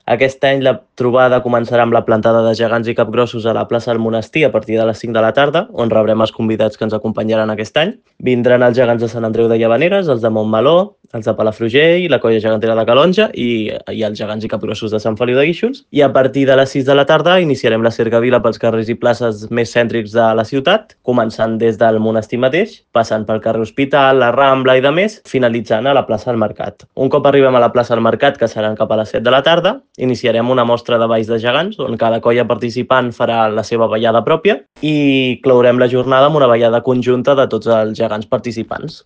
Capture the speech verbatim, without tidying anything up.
Aquest any la trobada començarà amb la plantada de gegants i capgrossos a la plaça del Monestir a partir de les cinc de la tarda, on rebrem els convidats que ens acompanyaran aquest any. Vindran els gegants de Sant Andreu de Llavaneres, els de Montmeló, els de Palafrugell, la colla gegantera de Calonja i, i els gegants i capgrossos de Sant Feliu de Guíxols. I a partir de les sis de la tarda iniciarem la cercavila pels carrers i places més cèntrics de la ciutat, començant des del monestir mateix, passant pel carrer Hospital, la Rambla i de més, finalitzant a la plaça del Mercat. Un cop arribem a la plaça del Mercat, que seran cap a les set de la tarda, iniciarem una mostra de balls de gegants, on cada colla participant farà la seva ballada pròpia i clourem la jornada amb una ballada conjunta de tots els gegants participants.